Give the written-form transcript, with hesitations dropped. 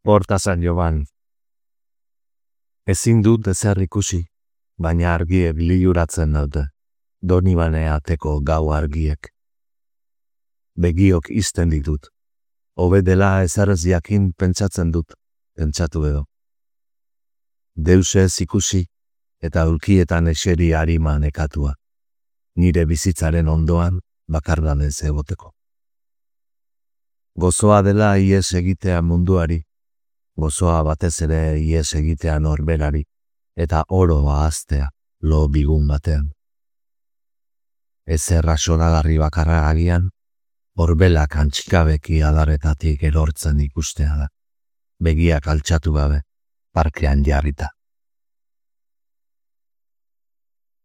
Hortazan joan. Ezin dut ezer ikusi, baina argiek liluratzen dute, Donibane ateko gau argiek. Begiok izten ditut. Hobe dela ezer ez jakin pentsatzen dut, pentsatu edo. Deus ez ikusi, eta ulkietan eseri harima nekatua. Nire bizitzaren ondoan bakardan ez egoteko. Gozoa dela ihes egitea munduari, gozoa batez ere ihes egitea norberari, eta oro ahaztea lo bigun batean. Ezer rasonagarri bakarra agian, horbelak antxikabeki adaretatik erortzen ikustea da, begiak altxatu gabe, parkean jarrita.